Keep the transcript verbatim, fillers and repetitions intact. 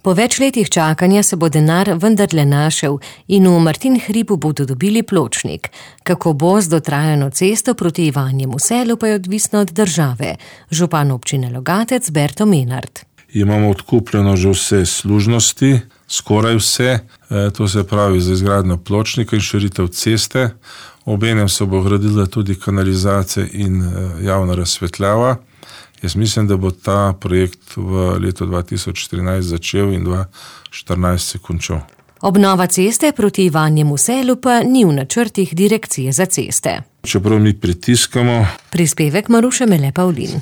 Po več letih čakanja se bo denar vendarle našel in v Martin hribu bodo dobili pločnik. Kako bo z dotrajano cesto proti Ivanjemu Selu, pa je odvisno od države. Župan občine Logatec Berto Menard. Imamo odkupljeno že vse služnosti, skoraj vse, to se pravi za izgradnjo pločnika in širitev ceste. Obenem se bo gradila tudi kanalizacija in javna razsvetljava. Jaz mislim, da bo ta projekt v letu dva tisoč štirinajst začel in dva tisoč štirinajst se končal. Obnova ceste proti Ivanjemu Selu pa ni v načrtih Direkcije za ceste. Čeprav mi pritiskamo. Prispevek Maruše Mele Pavlin.